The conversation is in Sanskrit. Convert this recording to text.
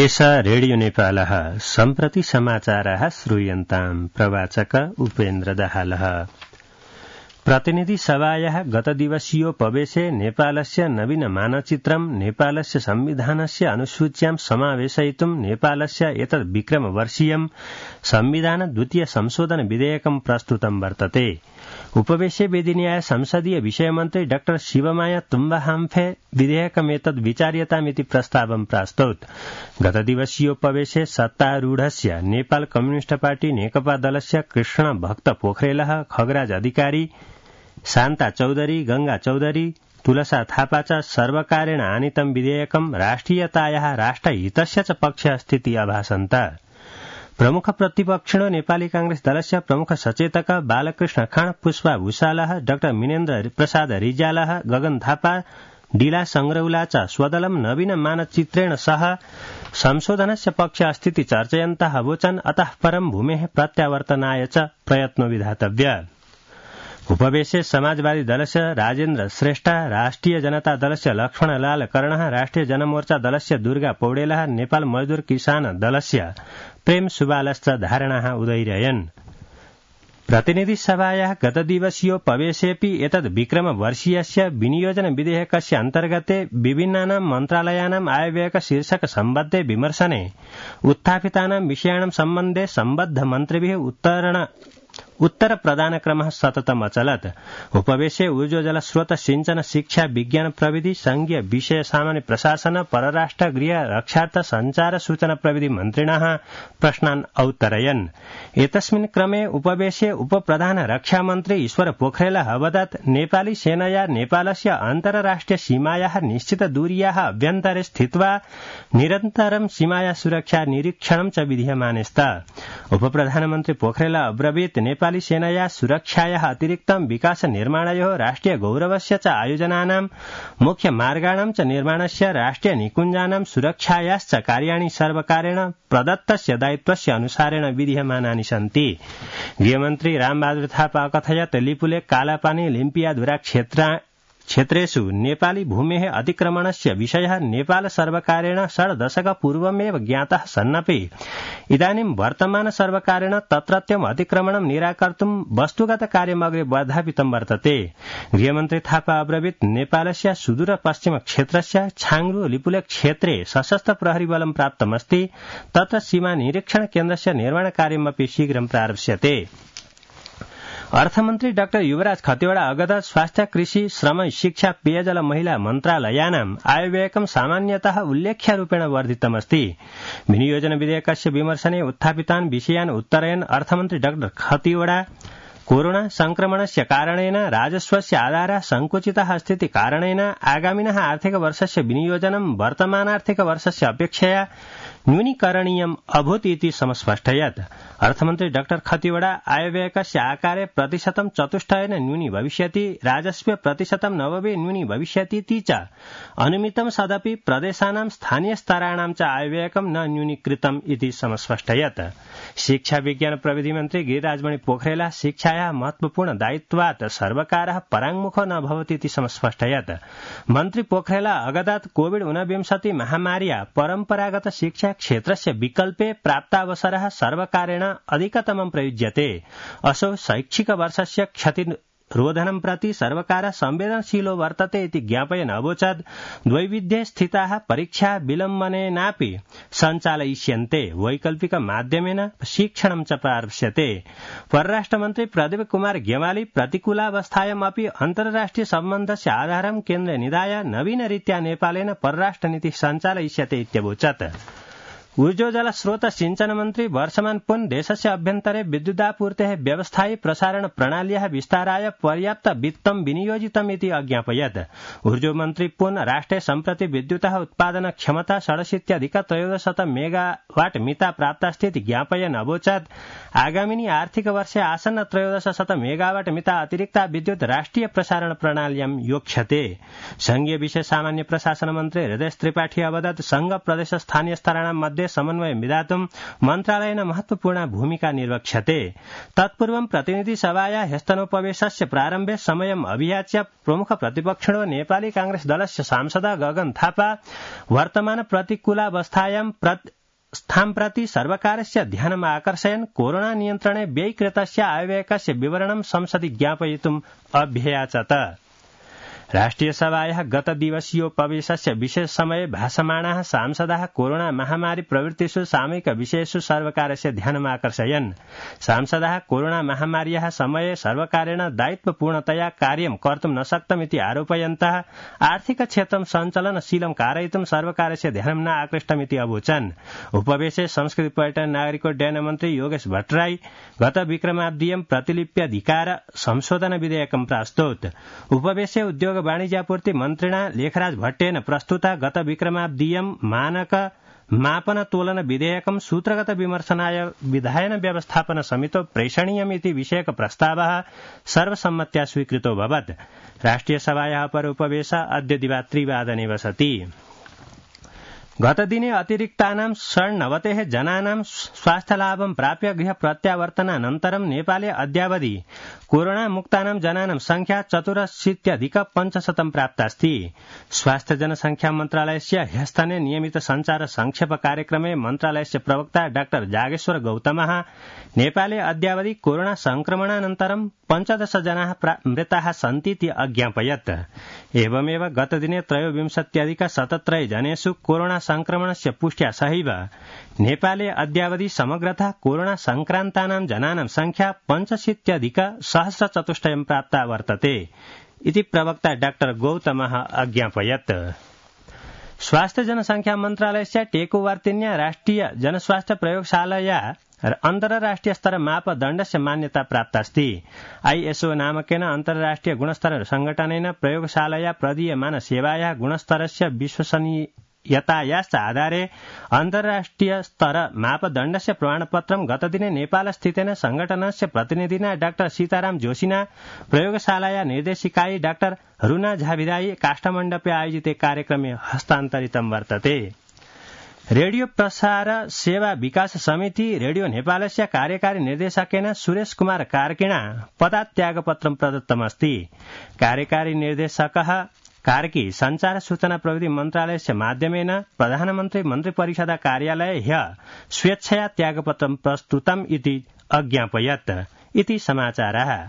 एष रेडियो नेपालः सम्प्रति समाचाराः श्रूयन्ताम् प्रवाचक उपेन्द्र दाहालः। प्रतिनिधि सभायाः गतदिवसीयोपवेशे नेपालस्य नवीन मानचित्रं नेपालस्य संविधानस्य अनुसूच्यां समावेशयितुं नेपालस्य एतद् विक्रमवर्षीयं संविधान द्वितीय संशोधन विधेयकं प्रस्तुतं वर्तते। उपवेशे वेदिन्याय संसदीय विषयमन्त्री डाक्टर शिवमाया तुम्बाहाम्फे विधेयकमेतद् विचार्यतामिति प्रस्तावं प्रास्तौत्। गतदिवसीयोपवेशे सत्तारूढस्य नेपाल कम्युनिस्ट पार्टी नेकपा दलस्य कृष्ण भक्त पोखरेलः, खगराज अधिकारी, शान्ता चौधरी, गंगा चौधरी, तुलसा थापा च सर्वकारेण आनीतं विधेयकं राष्ट्रियतायाः राष्ट्रहितस्य च पक्षे अस्तीति अभासन्त। प्रमुख प्रतिपक्षिणो नेपाली कांग्रेस दलस्य प्रमुख सचेतक बालकृष्ण खाँड, पुष्पा भूषालः, डाक्टर मिनेन्द्र प्रसाद रिजालः, गगन थापा, डीला संग्रौला च स्वदलं नवीन मानचित्रेण सह संशोधनस्य पक्षे अस्तीति चर्चयन्तः अवोचन्। अतः परं भूमेः प्रत्यावर्तनाय च प्रयत्नो विधातव्य। उपवेशे समाजवादी दलस्य राजेन्द्र श्रेष्ठ, राष्ट्रिय जनता दलस्य लक्ष्मणलाल कर्णः, राष्ट्रिय जनमोर्चा दलस्य दुर्गा पौडेलः, नेपाल मजदूर किसान दलस्य प्रेम सुबालश्च धारणाः उदैरयन्। प्रतिनिधि सभायाः गतदिवसीयोपवेशेऽपि एतद् विक्रमवर्षीयस्य विनियोजन विधेयकस्य अन्तर्गते विभिन्नानां मन्त्रालयानाम् आयव्ययक शीर्षक सम्बद्धे विमर्शने उत्थापितानां विषयाणां सम्बन्धे सम्बद्ध मन्त्रिभिः उत्तर प्रदानक्रमः सततम् अचलत्। उपवेशे ऊर्जोजल स्रोत सिंचन शिक्षा विज्ञान प्रविधि संघीय विषय सामान्य प्रशासन परराष्ट्र गृह रक्षार्थ संचार सूचना प्रविधि मन्त्रिणः प्रश्नान् औत्तरयन्। एतस्मिन् क्रमे उपवेशे उपप्रधान रक्षा मन्त्री ईश्वर पोखरेलः अवदत् नेपाली सेनया नेपालस्य अन्तर्राष्ट्रिय सीमायाः निश्चित दूर्याः अभ्यन्तरे स्थित्वा निरन्तरं सीमाया सुरक्षा निरीक्षणं च विधीयमाने स्त। उपप्रधानमन्त्री पोखरेलः अब्रवीत् नेपाली सेनया सुरक्षायाः अतिरिक्तं विकास निर्माणयोः राष्ट्रिय गौरवस्य च आयोजनानां मुख्य मार्गाणां च निर्माणस्य राष्ट्रिय निकुञ्जानां सुरक्षायाश्च कार्याणि सर्वकारेण प्रदत्तस्य दायित्वस्य अनुसारेण विधीयमानानि सन्ति। गृहमन्त्री रामबहादुर थापा अकथयत् लिपुलेख, कालापानी, लिम्पियाधुरा क्षेत्रेषु नेपाली भूमेः अतिक्रमणस्य विषयः नेपाल सर्वकारेण 6 दशकपूर्वमेव ज्ञातः सन्नपि इदानीं वर्तमान सर्वकारेण तत्रत्यम् अतिक्रमणं निराकर्तुं वस्तुगत कार्यमग्रे वर्धापितं वर्तते। गृहमन्त्री थापा अब्रवीत् नेपालस्य सुदूर पश्चिम क्षेत्रस्य छाङ्ग्रु लिपुलेख क्षेत्रे सशस्त्र प्रहरी बलं प्राप्तमस्ति। तत्र सीमा निरीक्षण केन्द्रस्य निर्माण कार्यमपि शीघ्रं प्रारप्स्यते। अर्थमन्त्री डाक्टर युवराज खतिवड़ा अगदत् स्वास्थ्य, कृषि, श्रम, शिक्षा, पेयजल, महिला मन्त्रालयानाम् आयव्ययकं सामान्यतः उल्लेख्यरूपेण वर्धितमस्ति। विनियोजन विधेयकस्य विमर्शने उत्थापितान् विषयान् उत्तरयन् अर्थमन्त्री डाक्टर खतिवड़ा कोरोना संक्रमणस्य कारणेन राजस्वस्य आधारः संकुचितः अस्तीति कारणेन आगामिनः आर्थिकवर्षस्य विनियोजनं वर्तमानार्थिकवर्षस्य अपेक्षया न्यूनीकरणीयम् अभूत् इति समस्पष्टयत्। अर्थमन्त्री डाक्टर खतिवड़ा आयव्ययकस्य आकारे प्रतिशतं 4% न्यूनी भविष्यति, राजस्वे प्रतिशतं 90 न्यूनी भविष्यतीति च अनुमितं सदपि प्रदेशानां स्थानीय स्तराणां च आयव्ययकं न न्यूनीकृतम् इति समस्पष्टयत्। शिक्षा विज्ञान प्रविधि मन्त्री गिरिराजमणि पोखरेलः शिक्षायाः महत्वपूर्ण दायित्वात् सर्वकारः पराङ्मुखो न भवति इति समस्पष्टयत्। मन्त्री पोखरेलः अगदत् कोविड-19 महामार्या परम्परागत शिक्षा क्षेत्रस्य विकल्पे प्राप्तावसरः सर्वकारेण अधिकतमं प्रयुज्यते। असौ शैक्षिक वर्षस्य क्षतिरोधनं प्रति सर्वकारः संवेदनशीलो वर्तते इति ज्ञापयन् अवोचत्। द्वैविध्ये स्थिताः परीक्षा विलम्बनेनापि सञ्चालयिष्यन्ते, वैकल्पिक माध्यमेन शिक्षणं च प्रारप्स्यते। परराष्ट्रमन्त्री प्रदीप कुमार गेवाली प्रतिकूलावस्थायामपि अन्तर्राष्ट्रिय सम्बन्धस्य आधारं केन्द्रे निधाय नवीनरीत्या नेपालेन परराष्ट्रनीतिः सञ्चालयिष्यते इत्यवोचत्। ऊर्जोजल स्रोत सिंचन मन्त्री वर्षमान पुन देशस्य अभ्यन्तरे विद्युदापूर्तेः व्यवस्थायी प्रसारण प्रणाल्याः विस्ताराय पर्याप्त वित्तं विनियोजितमिति अज्ञापयत्। ऊर्जो मन्त्री पुन राष्ट्रे सम्प्रति विद्युतः उत्पादन क्षमता 67,1300 मेगावाट मिता प्राप्तास्ति इति ज्ञापयन् अवोचत्। आगामिनि आर्थिक वर्षे आसन्न 1300 मेगावाट मिता अतिरिक्ता विद्युत राष्ट्रिय प्रसारण प्रणाल्यां योक्ष्यते। संघीय विषय सामान्य प्रशासन मन्त्री हृदय त्रिपाठी अवदत् संघ प्रदेश स्थानीय स्तराणां मध्ये मध्ये समन्वय विधातुं मन्त्रालयेन महत्वपूर्ण भूमिका निर्वक्ष्यते। तत्पूर्वं प्रतिनिधिसभाया ह्यस्तनोपवेशस्य प्रारम्भे समयम् अभियाच्य प्रमुख प्रतिपक्षिणो नेपाली कांग्रेस दलस्य सांसद गगन थापा वर्तमान प्रतिकूलावस्थायां स्थाम्प्रति सर्वकारस्य ध्यानम् आकर्षयन् कोरोना नियन्त्रणे व्ययीकृतस्य आयव्ययकस्य विवरणं संसदि ज्ञापयितुम् अभ्ययाचत। राष्ट्रियसभायाः गतदिवसीयोपवेशस्य विशेष समये भाषमाणाः सांसदाः कोरोना महामारी प्रवृत्तिषु सामयिक विषयेषु सर्वकारस्य ध्यानमाकर्षयन्। सांसदाः कोरोना महामार्याः समये सर्वकारेण दायित्वपूर्णतया कार्यं कर्तुं न शक्तमिति आरोपयन्तः आर्थिक क्षेत्रं सञ्चालनशीलं कारयितुं सर्वकारस्य ध्यानं न आकृष्टमिति अवोचन्। उपवेशे संस्कृति पर्यटन नागरिकोड्डयन मन्त्री योगेश भट्टराई गत विक्रमाब्दीयं प्रतिलिप्यधिकार संशोधन विधेयकं प्रास्तोत्। उपवेशे उद्योग वाणिज्यापूर्ति मन्त्रिणा लेखराज भट्टेन प्रस्तुत गत विक्रमाब्दीयं मानक मापन तोलन विधेयकं सूत्रगत विमर्शनाय विधायन व्यवस्थापन समितो प्रेषणीयमिति विषयक प्रस्तावः सर्वसम्मत्या स्वीकृतोऽभवत्। राष्ट्रियसभायाः अपर उपवेश अद्य दिवा3 वसति। गतदिने अतिरिक्तानां 96 जनानां स्वास्थ्यलाभं प्राप्य गृह प्रत्यावर्तनानन्तरं नेपाले अद्यावधि कोरोना मुक्तानां जनानां संख्या 84,500 प्राप्तास्ति। स्वास्थ्य जनसंख्या मन्त्रालयस्य ह्यस्तने नियमित संचार संक्षेप कार्यक्रमे मन्त्रालयस्य प्रवक्ता डाक्टर जागेश्वर गौतमः नेपाले अद्यावधि कोरोना संक्रमणानन्तरं 15 जनाः मृताः सन्तीति अज्ञापयत्। एवमेव गतदिने 23,017 जनेषु कोरोना संक्रमणस्य पुष्ट्या सहैव नेपाले अद्यावधि समग्रतः कोरोना संक्रान्तानां जनानां संख्या 65,104 प्राप्ता वर्तते इति प्रवक्ता डाक्टर गौतमः अज्ञापयत्। स्वास्थ्य जनसंख्या मन्त्रालयस्य टेकुवार्तिन्या राष्ट्रिय जनस्वास्थ्य प्रयोगशालाया अन्तर्राष्ट्रिय स्तर मापदण्डस्य मान्यता प्राप्तास्ति। आईएसओ नामकेन अन्तर्राष्ट्रिय गुणस्तर संघटनेन प्रयोगशालाया प्रदीयमान सेवायाः गुणस्तरस्य विश्वसनीयतायाश्च आधारे अन्तर्राष्ट्रिय स्तर मापदण्डस्य प्रमाणपत्रं गतदिने नेपालस्थितेन संघटनस्य प्रतिनिधिना डाक्टर सीताराम जोशिना प्रयोगशालाया निर्देशिकायै डाक्टर रुना झाविदाई काष्ठमण्डपे आयोजिते कार्यक्रमे हस्तान्तरितं वर्तते। रेडियो प्रसार सेवा विकास समिति रेडियो नेपालस्य कार्यकारी निर्देशकेन सुरेश कुमार कार्किणा पदात् त्यागपत्रं प्रदत्तमस्ति। कार्यकारी निर्देशकः कार्की संचार सूचना प्रविधि मन्त्रालयस्य माध्यमेन प्रधानमन्त्री मन्त्रिपरिषद कार्यालये ह्यः स्वेच्छया त्यागपत्रं प्रस्तुतम् इति अज्ञापयत् इति समाचारः।